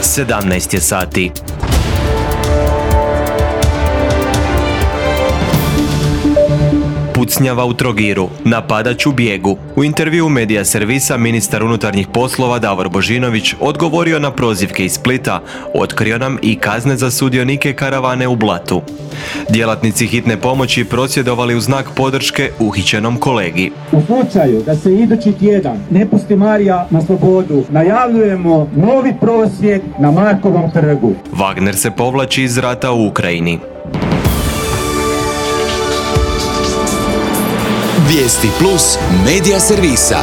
17 je sati. Pucnjava u Trogiru, napadač u bijegu. U intervjuu Medija servisa ministar unutarnjih poslova Davor Božinović odgovorio na prozivke iz Splita, otkrio nam i kazne za sudionike karavane u Blatu. Djelatnici hitne pomoći prosvjedovali u znak podrške uhićenom kolegi. U slučaju da se idući tjedan ne pusti Marija na slobodu, najavljujemo novi prosvjed na Markovom trgu. Wagner se povlači iz rata u Ukrajini. Vijesti plus Medija servisa.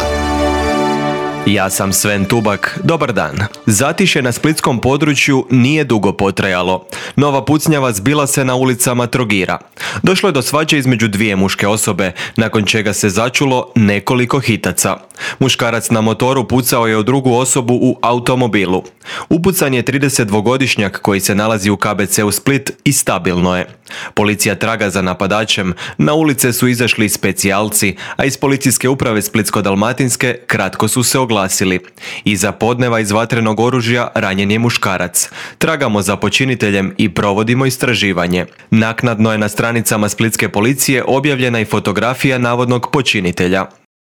Ja sam Sven Tubak, dobar dan. Zatišje na splitskom području nije dugo potrajalo. Nova pucnjava zbila se na ulicama Trogira. Došlo je do svađe između dvije muške osobe, nakon čega se začulo nekoliko hitaca. Muškarac na motoru pucao je u drugu osobu u automobilu. Upucan je 32-godišnjak koji se nalazi u KBC-u Split i stabilno je. Policija traga za napadačem, na ulice su izašli specijalci, a iz policijske uprave Splitsko-dalmatinske kratko su se oglasili. Iza podneva iz vatrenog oružja ranjen je muškarac. Tragamo za počiniteljem i provodimo istraživanje. Naknadno je na stranicama splitske policije objavljena i fotografija navodnog počinitelja.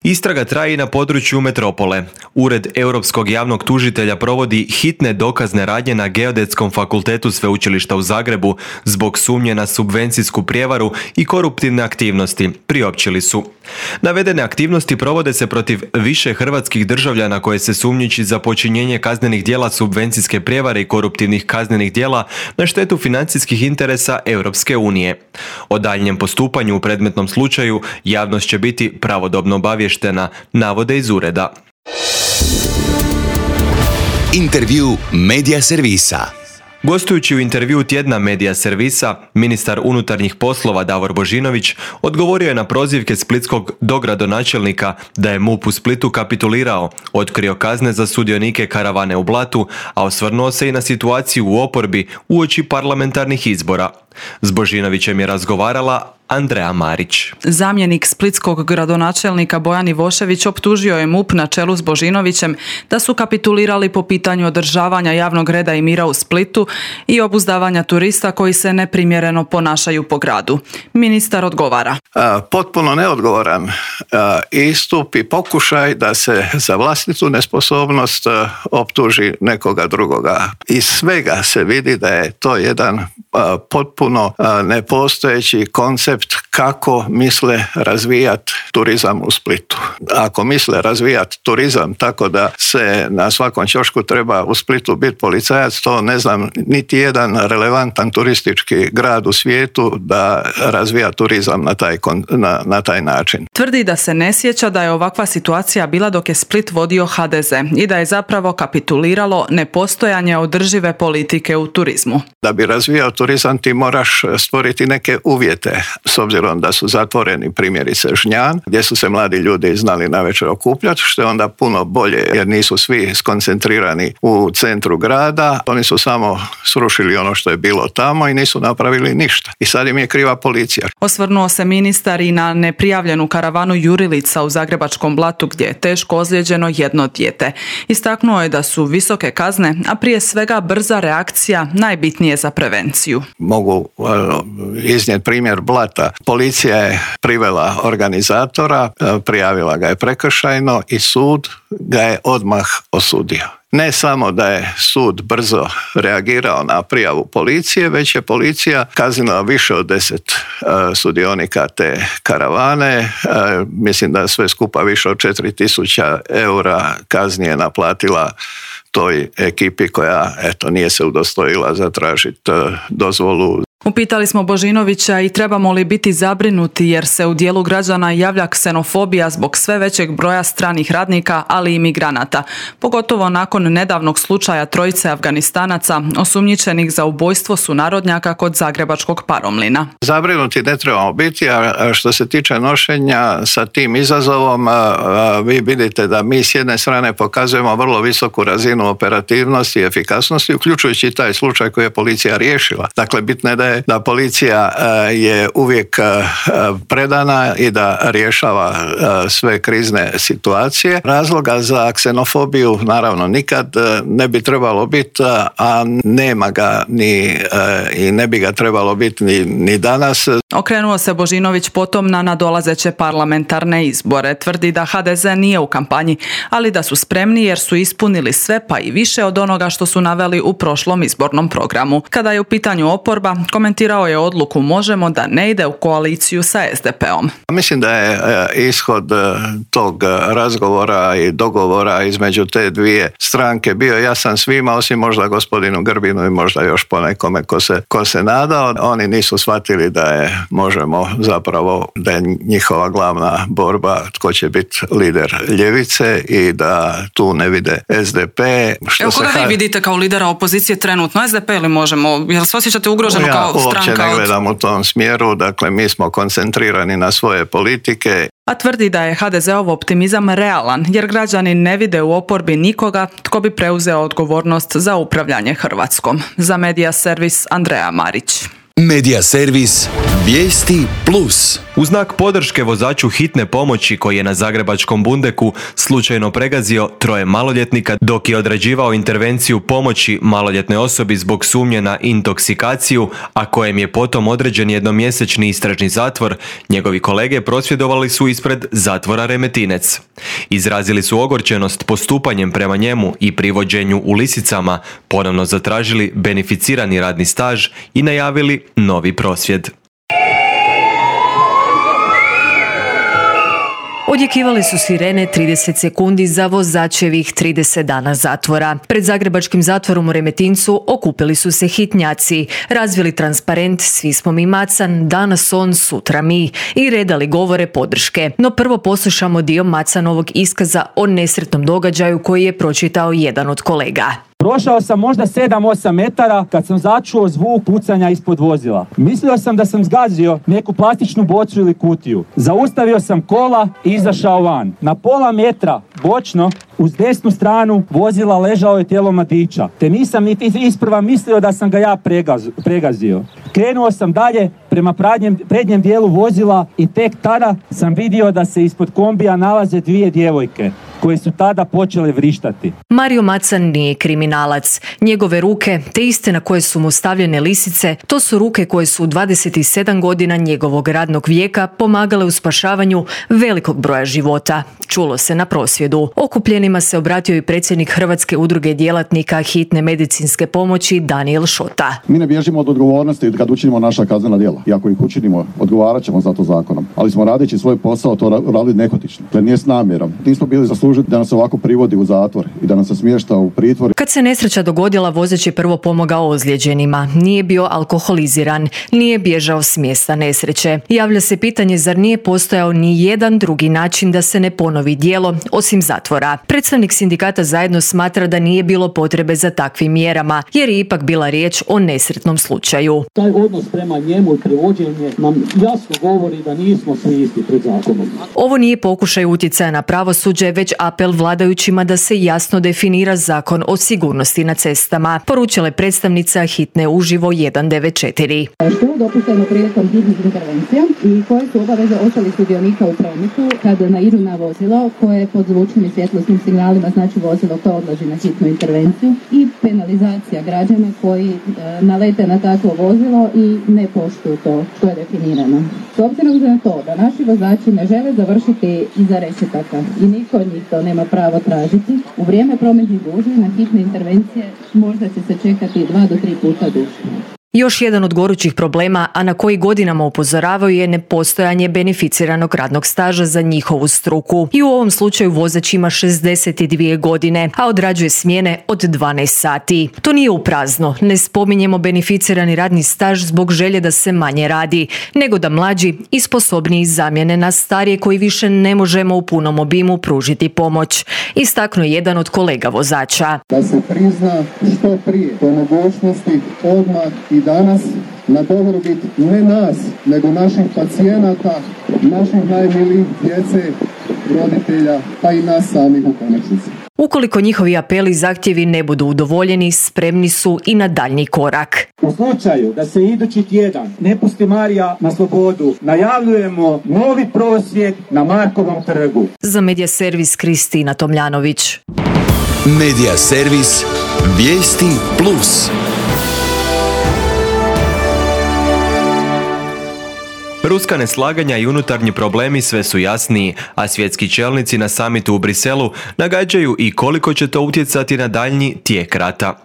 Istraga traje i na području metropole. Ured Europskog javnog tužitelja provodi hitne dokazne radnje na Geodetskom fakultetu Sveučilišta u Zagrebu zbog sumnje na subvencijsku prijevaru i koruptivne aktivnosti, priopćili su. Navedene aktivnosti provode se protiv više hrvatskih državljana koje se sumnjiči za počinjenje kaznenih djela subvencijske prijevare i koruptivnih kaznenih djela na štetu financijskih interesa Europske unije. O daljnjem postupanju u predmetnom slučaju javnost će biti pravodobno obavještena, navode iz ureda. Intervju Medija servisa. Gostujući u intervjuu tjedna Medija servisa, ministar unutarnjih poslova Davor Božinović odgovorio je na prozivke splitskog dogradonačelnika da je MUP u Splitu kapitulirao, otkrio kazne za sudionike karavane u Blatu, a osvrnuo se i na situaciju u oporbi uoči parlamentarnih izbora. S Božinovićem je razgovarala Andreja Marić. Zamjenik splitskog gradonačelnika Bojan Ivošević optužio je MUP na čelu s Božinovićem da su kapitulirali po pitanju održavanja javnog reda i mira u Splitu i obuzdavanja turista koji se neprimjereno ponašaju po gradu. Ministar odgovara. Potpuno neodgovoran istup i pokušaj da se za vlastitu nesposobnost optuži nekoga drugoga. Iz svega se vidi da je to jedan potpuno nepostojeći koncept kako misle razvijati turizam u Splitu. Ako misle razvijati turizam tako da se na svakom ćošku treba u Splitu biti policajac, to ne znam niti jedan relevantan turistički grad u svijetu da razvija turizam na taj način. Tvrdi da se ne sjeća da je ovakva situacija bila dok je Split vodio HDZ i da je zapravo kapituliralo nepostojanje održive politike u turizmu. Da bi razvijao turizam ti moraš stvoriti neke uvjete, s obzirom da su zatvoreni primjerice Žnjan, gdje su se mladi ljudi znali navečer okupljati, što je onda puno bolje jer nisu svi skoncentrirani u centru grada, oni su samo srušili ono što je bilo tamo i nisu napravili ništa. I sad im je kriva policija. Osvrnuo se ministar i na neprijavljenu karavanu Jurilica u Zagrebačkom Blatu gdje je teško ozlijeđeno jedno dijete. Istaknuo je da su visoke kazne, a prije svega brza reakcija najbitnije za prevenciju. Mogu iznijeti primjer Blata. Policija je privela organizatora, prijavila ga je prekršajno i sud ga je odmah osudio. Ne samo da je sud brzo reagirao na prijavu policije, već je policija kaznila više od 10 sudionika te karavane. Mislim da sve skupa više od 4.000 eura kazni je naplatila toj ekipi koja nije se udostojila zatražiti dozvolu. Upitali smo Božinovića i trebamo li biti zabrinuti jer se u dijelu građana javlja ksenofobija zbog sve većeg broja stranih radnika, ali i migranata, pogotovo nakon nedavnog slučaja trojice Afganistanaca osumnjičenih za ubojstvo sunarodnjaka kod zagrebačkog Paromlina. Zabrinuti ne trebamo biti, a što se tiče nošenja sa tim izazovom, vi vidite da mi s jedne strane pokazujemo vrlo visoku razinu operativnosti i efikasnosti, uključujući taj slučaj koji je policija riješila. Dakle, bitno je da je je da policija je uvijek predana i da rješava sve krizne situacije. Razloga za ksenofobiju naravno nikad ne bi trebalo biti, a nema ga i ne bi ga trebalo biti ni danas. Okrenuo se Božinović potom na nadolazeće parlamentarne izbore. Tvrdi da HDZ nije u kampanji, ali da su spremni jer su ispunili sve pa i više od onoga što su naveli u prošlom izbornom programu. Kada je u pitanju oporba, komentirao je odluku Možemo da ne ide u koaliciju sa SDP-om. Mislim da je ishod tog razgovora i dogovora između te dvije stranke bio jasan svima, osim možda gospodinu Grbinu i možda još ponekome ko se nadao. Oni nisu shvatili da je Možemo zapravo da je njihova glavna borba tko će biti lider ljevice i da tu ne vide SDP. Evo koga vi vidite kao lidera opozicije trenutno, SDP ili Možemo? Jel se osjećate ugroženo kao stranka? Ja uopće ne gledam u tom smjeru, dakle mi smo koncentrirani na svoje politike. A tvrdi da je HDZ-ov optimizam realan, jer građani ne vide u oporbi nikoga tko bi preuzeo odgovornost za upravljanje Hrvatskom. Za Medija servis Andreja Marić. Medija servis Vijesti Plus. U znak podrške vozaču hitne pomoći koji je na zagrebačkom Bundeku slučajno pregazio 3 maloljetnika dok je odrađivao intervenciju pomoći maloljetnoj osobi zbog sumnje na intoksikaciju, a kojem je potom određen jednomjesečni istražni zatvor, njegovi kolege prosvjedovali su ispred zatvora Remetinec. Izrazili su ogorčenost postupanjem prema njemu i privođenju u lisicama, ponovno zatražili beneficirani radni staž i najavili novi prosvjed. Odjekivale su sirene 30 sekundi za vozačevih 30 dana zatvora. Pred zagrebačkim zatvorom u Remetincu okupili su se hitnjaci, razvili transparent "Svi smo mi Macan, danas on, sutra mi" i redali govore podrške. No prvo poslušamo dio Macanovog iskaza o nesretnom događaju koji je pročitao jedan od kolega. Prošao sam možda 7-8 metara kad sam začuo zvuk pucanja ispod vozila. Mislio sam da sam zgazio neku plastičnu bocu ili kutiju. Zaustavio sam kola i izašao van. Na pola metra, bočno, uz desnu stranu vozila ležao je tijelo mladića. Te nisam niti isprva mislio da sam ga ja pregazio. Krenuo sam dalje prema prednjem dijelu vozila i tek tada sam vidio da se ispod kombija nalaze 2 djevojke koje su tada počele vrištati. Mario Macan nije kriminalac. Njegove ruke, te iste na koje su mu stavljene lisice, to su ruke koje su u 27 godina njegovog radnog vijeka pomagale u spašavanju velikog broja života. Čulo se na prosvjedu. Okupljenima se obratio i predsjednik Hrvatske udruge djelatnika hitne medicinske pomoći Danijel Šota. Mi ne bježimo od odgovornosti kad učinimo naša kaznena djela. I ako ih učinimo, odgovarat ćemo za to zakonom. Ali smo radeći svoj posao to radili nehotično. Jer nije s namjerom. Nismo bili zasluženi da nas ovako privodi u zatvor i da nas se smješta u pritvor. Kad se nesreća dogodila, vozač je prvo pomogao ozlijeđenima. Nije bio alkoholiziran, nije bježao s mjesta nesreće. Javlja se pitanje zar nije postojao ni jedan drugi način da se ne ponovi djelo osim zatvora. Predstavnik sindikata Zajedno smatra da nije bilo potrebe za takvim mjerama, jer je ipak bila riječ o nesretnom slučaju. Taj odnos prema njemu i privođenje nam jasno govori da nismo svi isti pred zakonom. Ovo nije pokušaj utjecaja na pravosuđe, već apel vladajućima da se jasno definira Zakon o sigurnosti na cestama, poručila je predstavnica hitne uživo 194. Što je dopušteno prilikom hitnih intervencija i koje su obaveze ostalih sudionika u prometu kad naiđu na vozilo koje pod zvučnim i svjetlosnim signalima znači vozilo koje odlazi na hitnu intervenciju i penalizacija građana koji nalete na takvo vozilo i ne poštuju to što je definirano. S obzirom na to da naši vozači ne žele završiti iza rešetaka i niko od njih to nema pravo tražiti, u vrijeme prometnih gužvi na hitne intervencije možda će se čekati 2 do 3 puta duže. Još jedan od gorućih problema, a na koji godinama upozoravaju, je nepostojanje beneficiranog radnog staža za njihovu struku. I u ovom slučaju vozač ima 62 godine, a odrađuje smjene od 12 sati. To nije u prazno, ne spominjemo beneficirani radni staž zbog želje da se manje radi, nego da mlađi i sposobniji zamjene na starije koji više ne možemo u punom obimu pružiti pomoć. Istaknuo jedan od kolega vozača. Da se prizna što prije po mogućnosti odmah i danas na dobrobit ne nas, nego naših pacijenata, naših najmilijih djece, roditelja, pa i nas samih u konačnici. Ukoliko njihovi apeli i zahtjevi ne budu udovoljeni, spremni su i na daljnji korak. U slučaju da se idući tjedan ne pusti Marija na slobodu, najavljujemo novi prosvjed na Markovom trgu. Za Medija servis Kristina Tomljanović. Medija servis Vijesti Plus. Ruska neslaganja i unutarnji problemi sve su jasniji, a svjetski čelnici na samitu u Briselu nagađaju i koliko će to utjecati na daljnji tijek rata.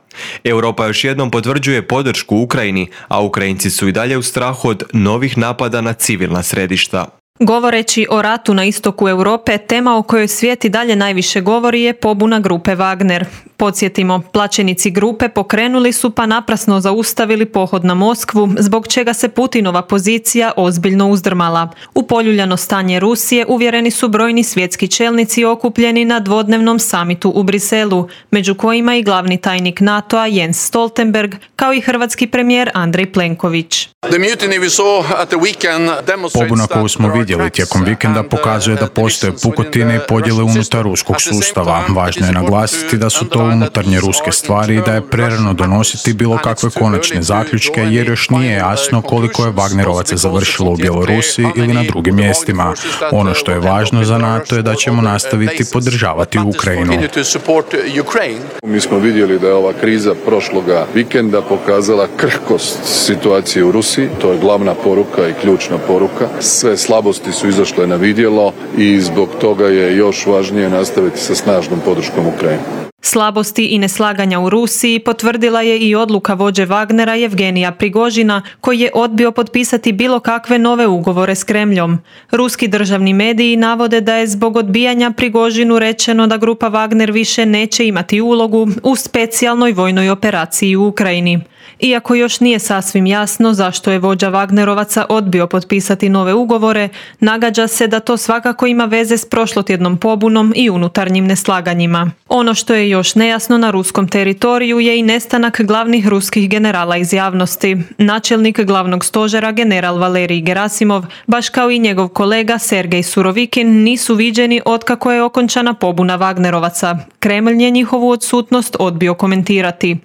Europa još jednom potvrđuje podršku Ukrajini, a Ukrajinci su i dalje u strahu od novih napada na civilna središta. Govoreći o ratu na istoku Europe, tema o kojoj svijet i dalje najviše govori je pobuna grupe Wagner. Podsjetimo, plaćenici grupe pokrenuli su pa naprasno zaustavili pohod na Moskvu, zbog čega se Putinova pozicija ozbiljno uzdrmala. U poljuljano stanje Rusije uvjereni su brojni svjetski čelnici okupljeni na dvodnevnom samitu u Briselu, među kojima i glavni tajnik NATO-a Jens Stoltenberg, kao i hrvatski premijer Andrej Plenković. Pobuna koju smo vidjeli tijekom vikenda pokazuje da postoje pukotine i podjele unutar ruskog sustava. Važno je naglasiti da su to unutarnje ruske stvari i da je prerano donositi bilo kakve konačne zaključke, jer još nije jasno koliko je Wagnerovaca završilo u Bjelorusiji ili na drugim mjestima. Ono što je važno za NATO je da ćemo nastaviti podržavati Ukrajinu. Mi smo vidjeli da je ova kriza prošloga vikenda pokazala krhkost situacije u Rusiji. To je glavna poruka i ključna poruka. Sve slabosti su izašle na vidjelo i zbog toga je još važnije nastaviti sa snažnom podrškom Ukrajini. Slabosti i neslaganja u Rusiji potvrdila je i odluka vođe Wagnera Jevgenija Prigožina, koji je odbio potpisati bilo kakve nove ugovore s Kremljom. Ruski državni mediji navode da je zbog odbijanja Prigožinu rečeno da grupa Wagner više neće imati ulogu u specijalnoj vojnoj operaciji u Ukrajini. Iako još nije sasvim jasno zašto je vođa Wagnerovaca odbio potpisati nove ugovore, nagađa se da to svakako ima veze s prošlotjednom pobunom i unutarnjim neslaganjima. Ono što je još nejasno na ruskom teritoriju je i nestanak glavnih ruskih generala iz javnosti. Načelnik glavnog stožera general Valerij Gerasimov, baš kao i njegov kolega Sergej Surovikin, nisu viđeni otkako je okončana pobuna Wagnerovaca. Kremlj je njihovu odsutnost odbio komentirati.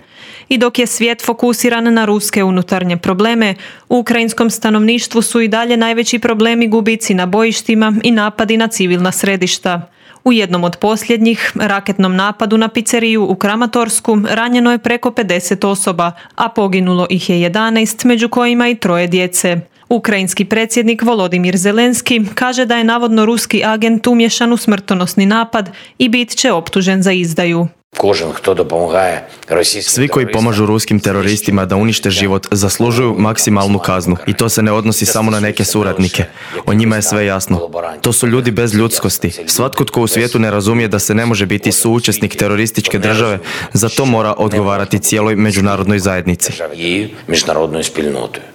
I dok je svijet fokusiran na ruske unutarnje probleme, u ukrajinskom stanovništvu su i dalje najveći problemi gubici na bojištima i napadi na civilna središta. U jednom od posljednjih, raketnom napadu na pizzeriju u Kramatorsku, ranjeno je preko 50 osoba, a poginulo ih je 11, među kojima i 3 djece. Ukrajinski predsjednik Volodimir Zelenski kaže da je navodno ruski agent umješan u smrtonosni napad i bit će optužen za izdaju. Svi koji pomažu ruskim teroristima da unište život zaslužuju maksimalnu kaznu i to se ne odnosi samo na neke suradnike. O njima je sve jasno. To su ljudi bez ljudskosti. Svatko tko u svijetu ne razumije da se ne može biti suučesnik terorističke države, za to mora odgovarati cijeloj međunarodnoj zajednici.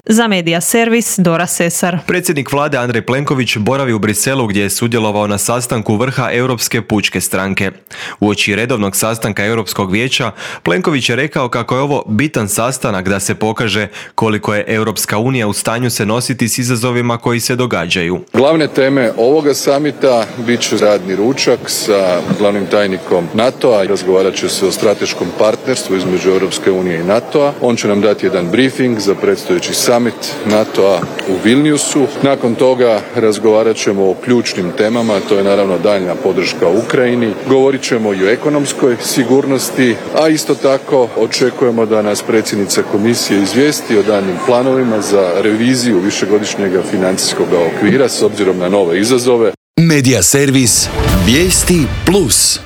Za Medija servis Dora Sesar. Predsjednik vlade Andrej Plenković boravi u Briselu gdje je sudjelovao na sastanku vrha Europske pučke stranke. Uoči redovnog sastanka Europskog vijeća, Plenković je rekao kako je ovo bitan sastanak da se pokaže koliko je Europska unija u stanju se nositi s izazovima koji se događaju. Glavne teme ovoga samita bit će radni ručak sa glavnim tajnikom NATO-a. Razgovarat će se o strateškom partnerstvu između Europske unije i NATO-a. On će nam dati jedan briefing za predstojeći summit NATO-a u Vilniusu. Nakon toga razgovarat ćemo o ključnim temama, to je naravno daljnja podrška Ukrajini. Govorit ćemo i o ekonomskoj sigurnosti, a isto tako očekujemo da nas predsjednica komisije izvijesti o daljnjim planovima za reviziju višegodišnjeg financijskog okvira s obzirom na nove izazove. Medija servis Vijesti Plus.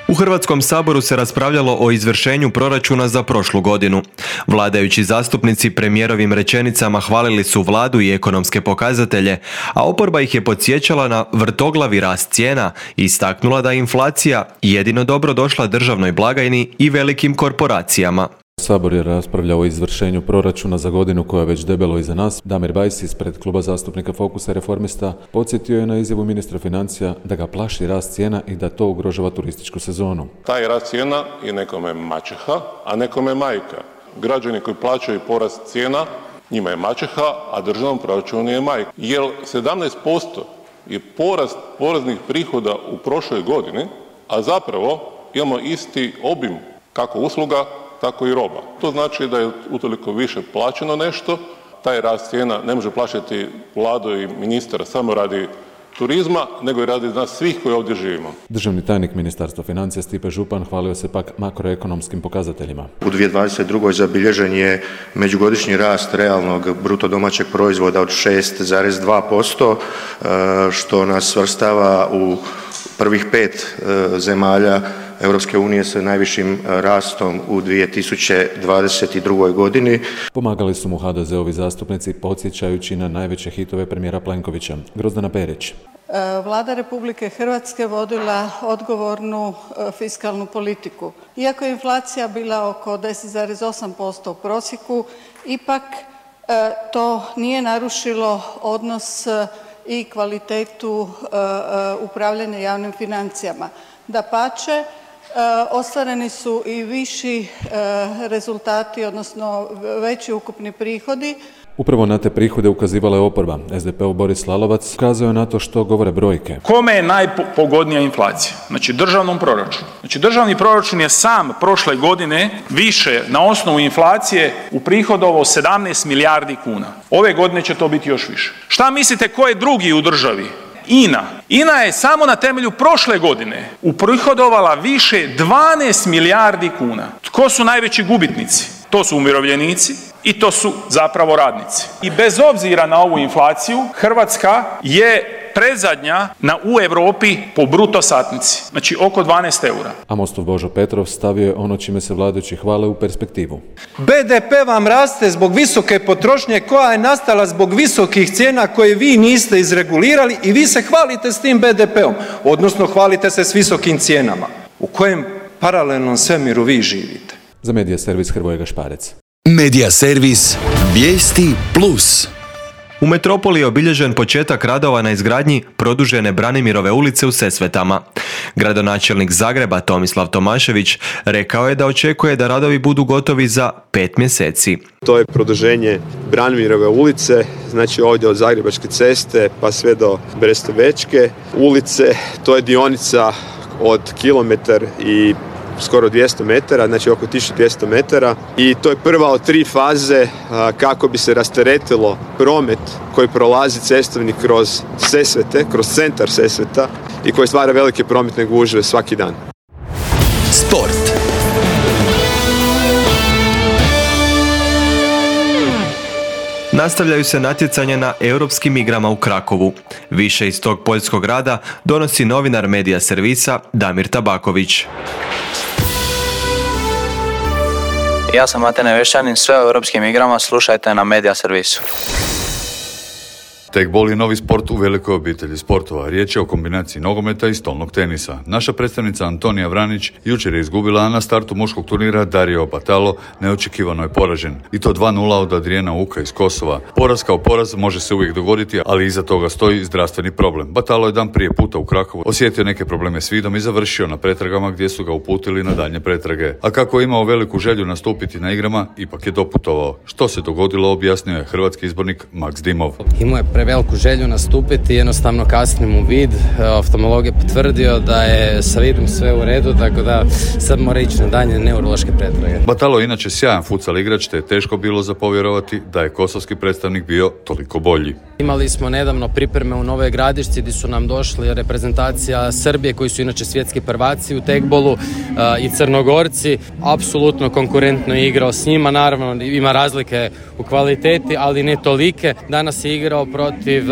U Hrvatskom saboru se raspravljalo o izvršenju proračuna za prošlu godinu. Vladajući zastupnici premijerovim rečenicama hvalili su vladu i ekonomske pokazatelje, a oporba ih je podsjećala na vrtoglavi rast cijena i istaknula da je inflacija jedino dobro došla državnoj blagajni i velikim korporacijama. Sabor je raspravljao o izvršenju proračuna za godinu koja je već debelo iza nas. Damir Bajs ispred kluba zastupnika Fokusa i Reformista podsjetio je na izjavu ministra financija da ga plaši rast cijena i da to ugrožava turističku sezonu. Taj rast cijena je nekome maćeha, a nekome majka. Građani koji plaćaju porast cijena, njima je maćeha, a državnom proračunu je majka. Jer 17% je porast poreznih prihoda u prošloj godini, a zapravo imamo isti obim kako usluga, tako i roba. To znači da je utoliko više plaćeno nešto, taj rast cijena ne može plaćati Vlado i ministar samo radi turizma, nego i radi nas svih koji ovdje živimo. Državni tajnik Ministarstva financija Stipe Župan hvalio se pak makroekonomskim pokazateljima. U 2022. zabilježen je međugodišnji rast realnog bruto domaćeg proizvoda od 6,2%, što nas svrstava u prvih 5 zemalja Europske unije sa najvišim rastom u 2022. godini. Pomagali su mu HDZ-ovi zastupnici podsjećajući na najveće hitove premijera Plenkovića. Grozdana Perić. Vlada Republike Hrvatske vodila odgovornu fiskalnu politiku. Iako je inflacija bila oko 10,8% u prosjeku, ipak to nije narušilo odnos i kvalitetu upravljanja javnim financijama. Dapače, ostvareni su i viši rezultati, odnosno veći ukupni prihodi. Upravo na te prihode ukazivala je oporba. SDP-ov Boris Lalovac ukazao je na to što govore brojke. Kome je najpogodnija inflacija? Znači državnom proračunu. Znači državni proračun je sam prošle godine više na osnovu inflacije uprihodovao 17 milijardi kuna. Ove godine će to biti još više. Šta mislite ko je drugi u državi? INA. INA je samo na temelju prošle godine uprihodovala više 12 milijardi kuna. Tko su najveći gubitnici? To su umirovljenici i to su zapravo radnici. I bez obzira na ovu inflaciju, Hrvatska je predzadnja u Europi po bruto satnici, znači oko 12 eura. A Mostov Božo Petrov stavio je ono čime se vladajući hvale u perspektivu. BDP vam raste zbog visoke potrošnje koja je nastala zbog visokih cijena koje vi niste izregulirali i vi se hvalite s tim BDP-om, odnosno hvalite se s visokim cijenama. U kojem paralelnom svemiru vi živite? Za Medija servis Hrvoje Gašparec. Medija servis Vijesti Plus. U metropoli je obilježen početak radova na izgradnji produžene Branimirove ulice u Sesvetama. Gradonačelnik Zagreba Tomislav Tomašević rekao je da očekuje da radovi budu gotovi za 5 mjeseci. To je produženje Branimirove ulice, znači ovdje od Zagrebačke ceste pa sve do Brestovečke ulice. To je dionica od kilometar i skoro 200 metara, znači oko 1200 metara i to je prva od 3 faze kako bi se rasteretilo promet koji prolazi cestovni kroz Sesvete, kroz centar Sesveta i koji stvara velike prometne gužve svaki dan. Sport. Nastavljaju se natjecanja na europskim igrama u Krakovu. Više iz tog poljskog rada donosi novinar Medija servisa Damir Tabaković. Ja sam Matej Nevešćanin, sve o europskim igrama slušajte na Medija servisu. Tekbol je novi sport u velikoj obitelji sportova. Riječ je o kombinaciji nogometa i stolnog tenisa. Naša predstavnica Antonija Vranić jučer je izgubila, a na startu muškog turnira Dario Batalo neočekivano je poražen. I to 2-0 od Adriana Uka iz Kosova. Poraz kao poraz može se uvijek dogoditi, ali iza toga stoji zdravstveni problem. Batalo je dan prije puta u Krakovu osjetio neke probleme s vidom i završio na pretragama gdje su ga uputili na daljnje pretrage. A kako je imao veliku želju nastupiti na igrama, ipak je doputovao. Što se dogodilo, objasnio je hrvatski izbornik Max Dimov. Veliku želju nastupiti, jednostavno kasnim u vid. Oftalmolog je potvrdio da je sa vidom sve u redu, tako da sad mora ići na daljnje neurološke pretrage. Batalo je inače sjajan futsal igrač, te je teško bilo za povjerovati da je kosovski predstavnik bio toliko bolji. Imali smo nedavno pripreme u Novoj Gradišci gdje su nam došli reprezentacija Srbije koji su inače svjetski prvaci u tekbolu i Crnogorci. Apsolutno konkurentno je igrao s njima, naravno ima razlike u kvaliteti, ali ne tolike. Danas je igrao protiv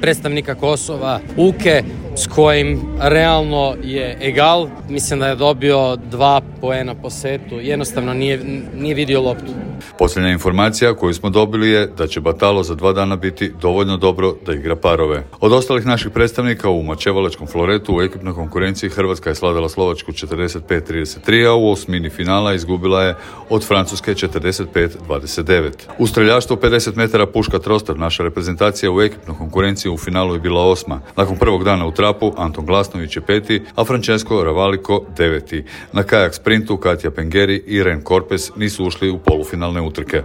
predstavnika Kosova Uke s kojim realno je egal. Mislim da je dobio 2 poena po setu. Jednostavno nije vidio loptu. Posljednja informacija koju smo dobili je da će Batalo za 2 dana biti dovoljno dobro da igra parove. Od ostalih naših predstavnika u mačevalačkom floretu u ekipnoj konkurenciji Hrvatska je slavila Slovačku 45-33, a u osmini finala izgubila je od Francuske 45-29. U streljaštvu 50 metara puška trostar naša reprezentacija u ekipnoj konkurenciji u finalu je bila 8. Nakon prvog dana u trapu Anton Glasnović je 5, a Francesco Ravaliko 9. Na kajak sprintu Katja Pengeri i Ren Korpes nisu ušli u polufinalne utrke.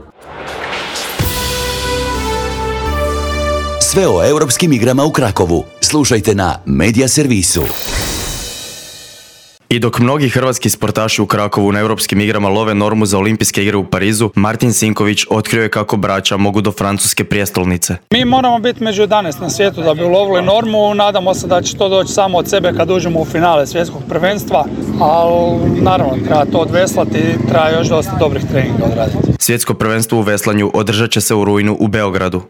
Sve o europskim igrama u Krakovu slušajte na Medija servisu. I dok mnogi hrvatski sportaši u Krakovu na europskim igrama love normu za olimpijske igre u Parizu, Martin Sinković otkrio je kako braća mogu do francuske prijestolnice. Mi moramo biti među 11 na svijetu da bi ulovili normu, nadamo se da će to doći samo od sebe kad uđemo u finale svjetskog prvenstva, ali naravno treba to odveslati i treba još dosta dobrih treninga odraditi. Svjetsko prvenstvo u veslanju održat će se u rujnu u Beogradu.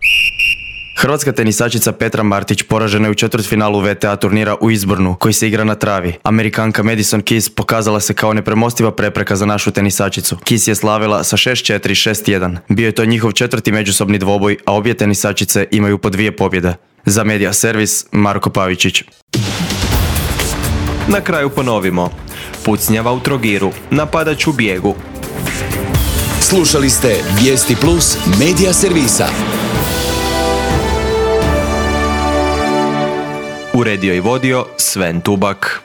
Hrvatska tenisačica Petra Martić poražena je u četvrtfinalu WTA turnira u Izbornu, koji se igra na travi. Amerikanka Madison Keys pokazala se kao nepremostiva prepreka za našu tenisačicu. Keys je slavila sa 6-4, 6-1. Bio je to njihov četvrti međusobni dvoboj, a obje tenisačice imaju po 2 pobjede. Za Media Servis, Marko Pavičić. Na kraju ponovimo. Pucnjava u Trogiru, napadač u bijegu. Slušali ste Vijesti Plus Media Servisa. Uredio i vodio Sven Tubak.